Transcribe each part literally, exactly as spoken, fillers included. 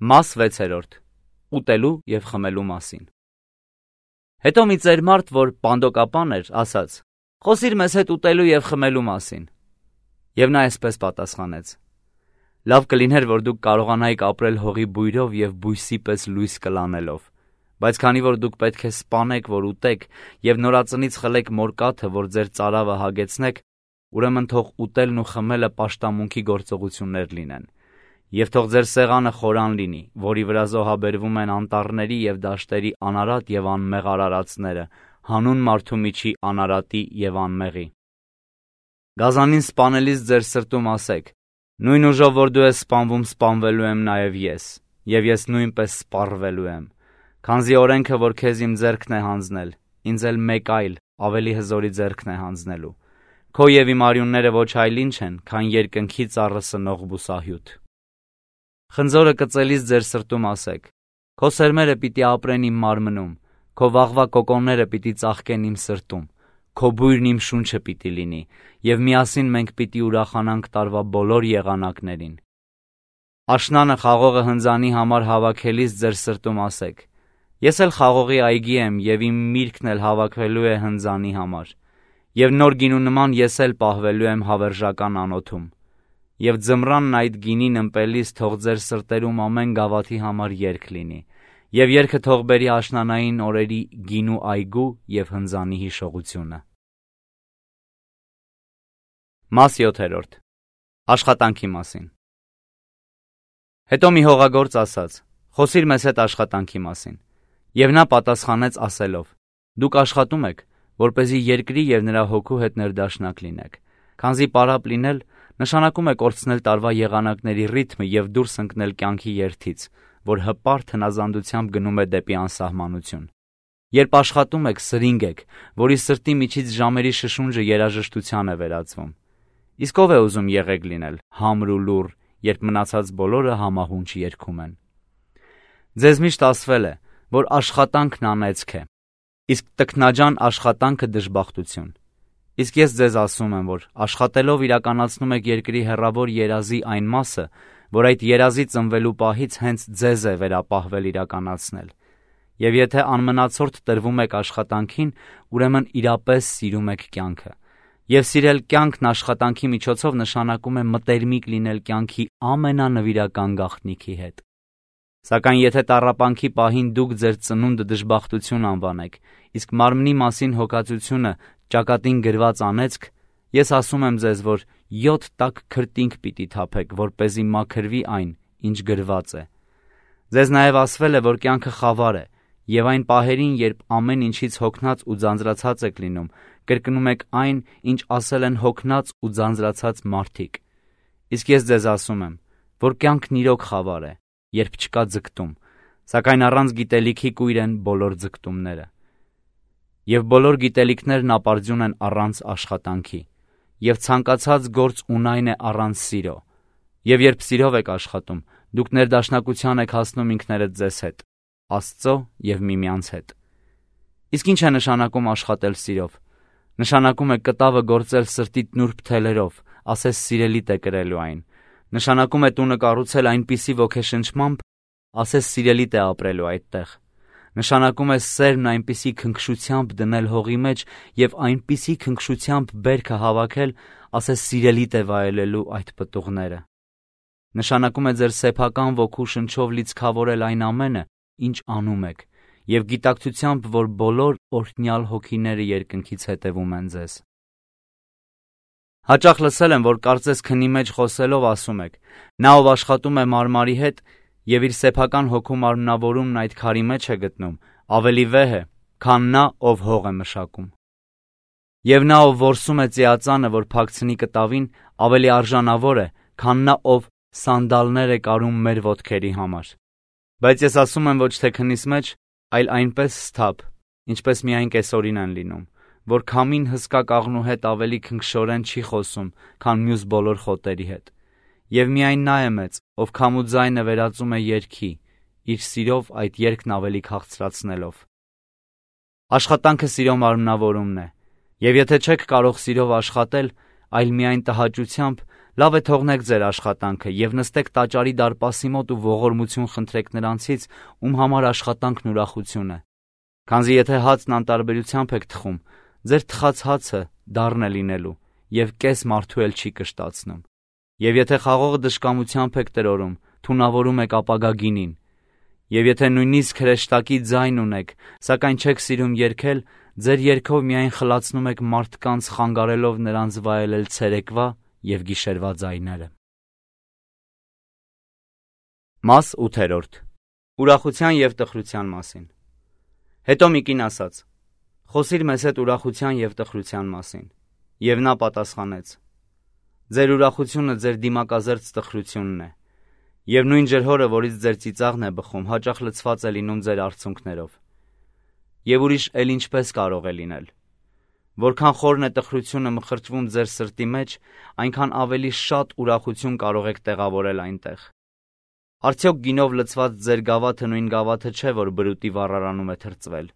Մաս վեցերորդ. Ուտելու և խմելու մասին։ Հետո մի ծեր մարդ, որ պանդոկապան էր, ասաց. «Խոսիր մեզ հետ ուտելու և խմելու մասին»։ Եվ նա այսպես պատասխանեց. «Լավ կլիներ, որ դուք կարողանայիք ապրել հողի բույրով և բույսի պես լույս կլանելով, բայց քանի որ դուք պետք է սպանեք, որ ուտեք, և նորածնից խլեք մորկաթը, որ ձեր ծարավը հագեցնեք, ուրեմն թող ուտելն ու խմելը պաշտամունքի գործողություններ լինեն։ Եվ թող ձեր սեղանը խորան լինի, որի վրա զոհաբերվում են անտառների և դաշտերի անարատ և անմեղ արարածները, հանուն մարդու միջի անարատի և անմեղի։ Գազանին սպանելիս ձեր սրտում ասեք. նույն ուժով, որ դու ես սպանվում, սպանվելու եմ նաև ես, և ես նույնպես սպառվելու եմ, քանզի օրենքը, որ քեզ իմ ձեռքն է հանձնել, ինձ էլ մեկ այլ, ավելի հզորի ձեռքն է հանձնելու։ Քո և իմ արյունները ոչ այլ ինչ են, քան երկնքի ծառը սնող բուսահյութ։ Խնձորը կծելիս ձեր սրտում ասեք. քո սերմերը պիտի ապրեն իմ մարմնում, քո վաղվա կոկոնները պիտի ծաղկեն իմ սրտում, քո բույրն իմ շունչը պիտի լինի, և միասին մենք պիտի ուրախանանք տարվա բոլոր եղանակներին։ Աշնանը խաղողը հնձանի համար հավաքելիս ձեր սրտում ասեք. ես էլ խաղողի այգի եմ, և իմ միրգն էլ հավաքվելու է հնձանի համար, և նոր գինու նման ես էլ պահվելու եմ հավերժական անոթում։ Եվ ձմռանն այդ գինին ըմպելիս թող ձեր սրտերում ամեն գավաթի համար երգ լինի, և երգը թող բերի աշնանային օրերի գինու այգու և հնձանի հիշողությունը։ Մաս յոթերորդ. Աշխատանքի մասին։ Հետո մի հողագործ ասաց. խոսիր մեզ հետ աշխատանքի մասին։ Եվ նա պատասխանեց ասելով. դուք աշխատում եք, որպեսզի երկրի և նրա հոգու հետ ներդաշնակ լինեք, քանզի պարապ լինել նշանակում է կորցնել տարվա եղանակների ռիթմը և դուրս ընկնել կյանքի երթից, որ հպարտ հնազանդությամբ գնում է դեպի անսահմանություն։ Երբ աշխատում եք, սրինգ եք, որի սրտի միջից ժամերի շշունջը երաժշտության է վերածվում։ Իսկ ով է ուզում եղեգ լինել, համր ու լուռ, երբ մնացած բոլորը համահունչ երգում են։ Ձեզ միշտ ասվել է, որ աշխատանքն անեծք է, իսկ տքնաջան աշխատանքը դժբախտություն։ Իսկ ես ձեզ ասում եմ, որ աշխատելով իրականացնում եք երկրի հեռավոր երազի այն մասը, որ այդ երազի ծնվելու պահից հենց ձեզ է վերապահվել իրականացնել։ Եվ եթե անմնացորդ տրվում եք աշխատանքին, ուրեմն իրապես սիրում եք կյանքը։ Եվ սիրել կյանքն աշխատանքի միջոցով նշանակում է մտերմիկ լինել կյանքի ամենանվիրական գաղտնիքի հետ։ Սակայն եթե տառապանքի պահին դուք ձեր ծնունդը դժբախտություն անվանեք, իսկ մարմնի մասին հոգածությունը ճակատին գրված անեծք, ես ասում եմ ձեզ, որ յոթ տաք քրտինք պիտի թափեք, որպեսզի մաքրվի այն, ինչ գրված է։ Ձեզ նաև ասվել է, որ կյանքը խավար է, և այն պահերին, երբ ամեն ինչից հոգնած ու ձանձրացած եք լինում, կրկնում եք այն, ինչ ասել են հոգնած ու ձանձրացած մարդիկ։ Իսկ ես ձեզ ասում եմ, որ կյանքն իրոք խավար է, երբ չկա ձգտում, սակայն առանց գիտելիքի կույր են բոլոր ձգտումները։ Եվ բոլոր գիտելիքներն ապարդյուն են առանց աշխատանքի, և ցանկացած գործ ունայն է առանց սիրո։ Եվ երբ սիրով եք աշխատում, դուք ներդաշնակության եք հասնում ինքներդ ձեզ հետ, Աստծո և միմյանց հետ։ Իսկ ինչ է նշանակում աշխատել սիրով։ Նշանակում է կտավը գործել սրտիդ նուրբ թելերով, ասես սիրելիդ է կրելու այն։ Նշանակում է տունը կառուցել այնպիսի ոգեշնչմամբ, ասես սիրելիդ է ապրելու այդտեղ։ Նշանակում է սերմն այնպիսի քնքշությամբ դնել հողի մեջ և այնպիսի քնքշությամբ բերքը հավաքել, ասես սիրելիդ է վայելելու այդ պտուղները։ Նշանակում է ձեր սեփական ոգու շնչով լիցքավորել այն ամենը, ինչ անում եք, և գիտակցությամբ, որ բոլոր օրհնյալ հոգիները երկնքից հետևում են ձեզ։ Հաճախ լսել եմ, որ կարծես քնի մեջ խոսելով ասում եք. նա, ով աշխատում է մարմարի հետ և իր սեփական հոգու մարմնավորումն այդ քարի մեջ է գտնում, ավելի վեհ է, քան նա, ով հող է մշակում։ Եվ նա, ով որսում է ծիածանը, որ փակցնի կտավին, ավելի արժանավոր է, քան նա, ով սանդալներ է կարում մեր ոտքերի համար։ Բայց ես ասում եմ ոչ թե քնիս մեջ, այլ այնպես սթափ, ինչպես միայն կեսօրին են լինում, որ քամին հսկա կաղնու հետ ավելի քնքշորեն չի խոսում, քան մյուս բոլոր խոտերի հետ։ Եվ միայն նա է մեծ, ով քամու ձայնը վերածում է երգի, իր սիրով այդ երգն ավելի քաղցրացնելով։ Աշխատանքը սիրո մարմնավորումն է, և եթե չեք կարող սիրով աշխատել, այլ միայն տհաճությամբ, Լավ է թողնեք ձեր աշխատանքը և նստեք տաճարի դարպասի մոտ ու ողորմություն խնդրեք նրանցից, ում համար աշխատանքն ուրախություն է։ Քանզի եթե հացն անտարբերությամբ եք թխում, ձեր թխած հացը դառն է լինելու և կես մարդու էլ չի կշտացնում։ Եվ եթե խաղողը դժկամությամբ եք տրորում, թունավորում եք ապագա գինին։ Եվ եթե նույնիսկ հրեշտակի ձայն ունեք, սակայն չեք սիրում երգել, ձեր երգով միայն խլացնում եք մարդկանց, խանգարելով նրանց վայելել ցերեկվա և գիշերվա ձայները։ Մաս ութերորդ. Ուրախության և տխրության մասին։ Հետո մի կին ասաց. «Խոսիր մեզ հետ ուրախության և տխրության մասին»։ Եվ նա պատասխանեց. «Ձեր ուրախությունը ձեր դիմակազերծ տխրությունն է, և նույն ջրհորը, որից ձեր ծիծաղն է բխում, հաճախ լցված է լինում ձեր արցունքներով։ Եվ ուրիշ էլ ինչպես կարող է լինել։ Որքան խորն է տխրությունը մխրճվում ձեր սրտի մեջ, այնքան ավելի շատ ուրախություն կարող եք տեղավորել այնտեղ։ Արդյոք գինով լցված ձեր գավաթը նույն գավաթը չէ, որ բրուտի վառարանում է թրծվել։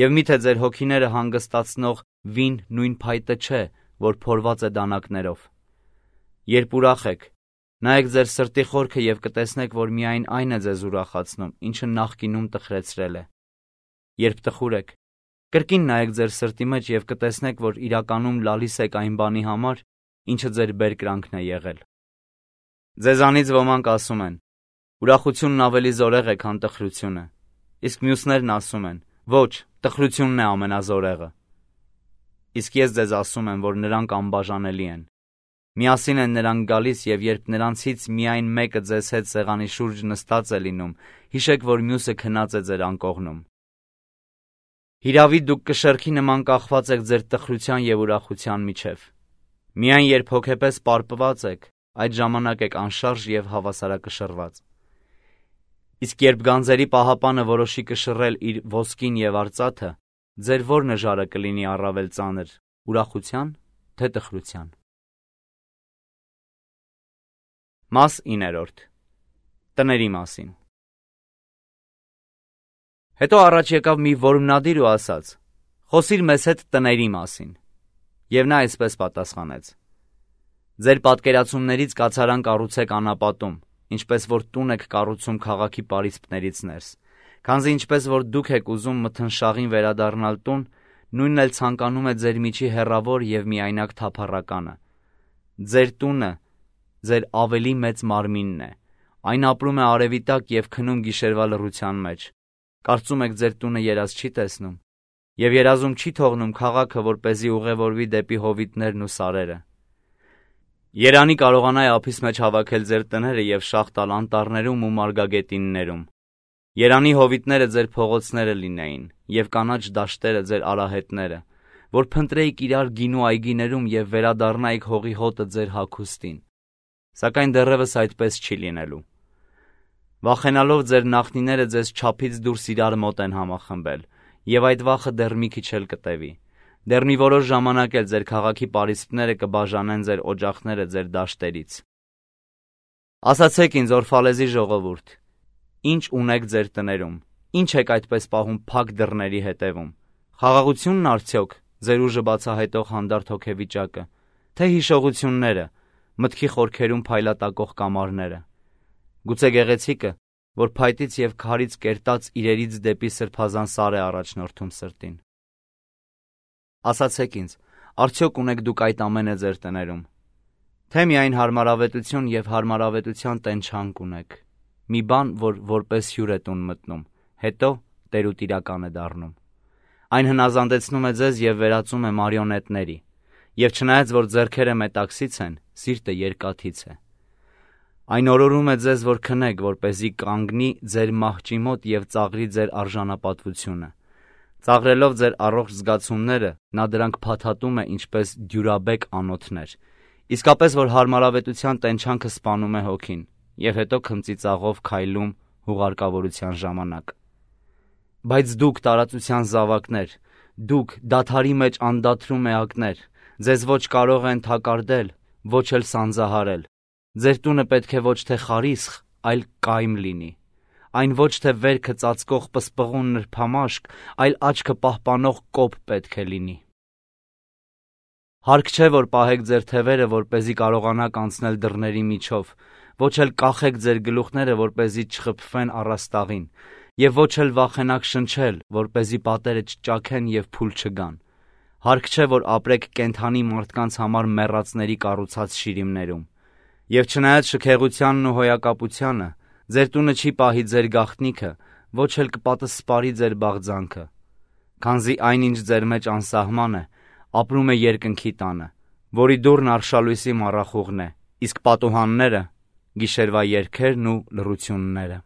Եվ միթե ձեր հոգիները հանգստացնող վին նույն փայտը չէ, որ փորված է դանակներով։ Երբ ուրախ եք, նայեք ձեր սրտի խորքը և կտեսնեք, որ միայն այն է ձեզ ուրախացնում, ինչը նախկինում տխրեցրել է։ Երբ տխուր եք, կրկին նայեք ձեր սրտի մեջ և կտեսնեք, որ իրականում լալիս եք այն բանի համար, ինչը ձեր բերկրանքն է եղել։ Ձեզանից ոմանք ասում են. ուրախությունն ավելի զորեղ է, քան տխրությունը, իսկ մյուսներն ասում են. ոչ, տխրությունն է ամենազորեղը։ Իսկ ես ձեզ ասում եմ, որ նրանք անբաժանելի են։ Միասին են նրանք գալիս, և երբ նրանցից միայն մեկը ձեզ հետ սեղանի շուրջ նստած է լինում, հիշեք, որ մյուսը քնած է ձեր անկողնում։ Հիրավի դուք կշեռքի նման կախված եք ձեր տխրության և ուրախության միջև։ Միայն երբ հոգեպես պարպված եք, այդ ժամանակ եք անշարժ և հավասարակշռված։ Իսկ երբ գանձերի պահապանը որոշի կշռել իր ոսկին և արծաթը, ձեր ո՞ր նժարը կլինի առավել ծանր, ուրախության, թե տխրության։ Մաս իններորդ. Տների մասին։ Հետո առաջ եկավ մի որմնադիր ու ասաց. «Խոսիր մեզ հետ տների մասին»։ Եվ նա այսպես պատասխանեց. «Ձեր պատկերացումներից կացարան կառուցեք անապատում, ինչպես որ տուն եք կառուցում քաղաքի պարիսպներից ներս, քանզի ինչպես որ դուք եք ուզում մթնշաղին վերադառնալ տուն, նույնն էլ ցանկանում է ձեր միջի հեռավոր և միայնակ թափառականը։ Ձեր տունը ձեր ավելի մեծ մարմինն է, այն ապրում է արևի տակ և քնում գիշերվա լռության մեջ։ Կարծում եք ձեր տունը երազ չի տեսնում, և երազում չի թողնում քաղաքը, որպեսզի ուղևորվի դեպի հովիտներն ու սարերը։ Երանի կարողանա է ափիս մեջ հավաքել ձեր տները և շաղ տալ անտառներում ու մարգագետիններում։ Երանի հովիտները ձեր փողոցները լինեին, և կանաչ դաշտերը ձեր արահետները, որ փնտրեիք իրար գինու այգիներում և վերադառնայիք հողի հոտը ձեր հագուստին։ Սակայն դեռևս այդպես չի լինելու։ Վախենալով ձեր նախնիները ձեզ չափից դուրս իրար մոտ են համախմբել, և այդ վախը դեռ մի քիչ էլ կտևի։ Դեռ մի որոշ ժամանակ էլ ձեր քաղաքի պարիսպները կբաժանեն ձեր օջախները ձեր դաշտերից։ Ասացեք ինձ, Օրֆալեզի ժողովուրդ, ի՞նչ ունեք ձեր տներում, ի՞նչ եք այդպես պահում փակ դռների հետևում։ Խաղաղությունն արդյոք ձեր ուժը բացահայտող հանդարտ հոգեվիճակը, թե հիշողությունները, մտքի խորքերում փայլատակող կամարները։ Գուցե գեղեցիկը, որ փայտից և քարից կերտած իրերից դեպի սրբազան սար է առաջնորդում սրտին։ Ասացեք ինձ, արդյոք ունեք դուք այդ ամենը ձեր տներում։ Թե միայն հարմարավետություն և հարմարավետության տենչանք ունեք, մի բան, որ որպես հյուր է տուն մտնում, հետո տերուտիրական է դառնում։ Այն հնազանդեցնում է ձեզ և վերածում է մարիոնետների, և չնայած որ ձեռքերը մետաքսից են, սիրտը երկաթից է։ Այն օրորում է ձեզ, որ քնեք, որպեսզի կանգնի ձեր մահճի մոտ և ծաղրի ձեր արժանապատվությունը։ Ծաղրելով ձեր առողջ զգացումները, նա դրանք փաթաթում է ինչպես դյուրաբեկ անոթներ, իսկապես որ հարմարավետության տենչանքը սպանում է հոգին, և հետո քմծիծաղով քայլում հուղարկավորության ժամանակ։ Բայց դուք տարածության զավակներ, դուք դադարի մեջ անդադրում էակներ, ձեզ ոչ կարող են թակարդել, ոչ էլ սանձահարել։ Ձեր տունը պետք է ոչ թե խարիսխ, այլ կայմ լինի։ Այն ոչ թե վերքը ծածկող պսպղուն նրբամաշկ, այլ աչքը պահպանող կոպ պետք է լինի։ Հարկ չէ, որ պահեք ձեր թևերը, որպեսզի կարողանաք անցնել դռների միջով, ոչ էլ կախեք ձեր գլուխները, որպեսզի չխփվեն առաստաղին, եւ ոչ էլ վախենաք շնչել, որպեսզի պատերը չճաքեն եւ փուլ չգան։ Հարկ չէ, որ ապրեք կենդանի մարդկանց համար մեռածների կառուցած շիրիմներում։ Եվ չնայած շքեղությանն ու հոյակապությանը, ձեր տունը չի պահի ձեր գաղտնիքը, ոչ էլ կպատսպարի ձեր բաղձանքը։ Քանզի այնինչ ձեր մեջ անսահման է, ապրում է երկնքի տանը, որի դուռն արշալույսի մառախուղն է, իսկ պատուհանները՝ գիշերվա երգերն ու լռությունները։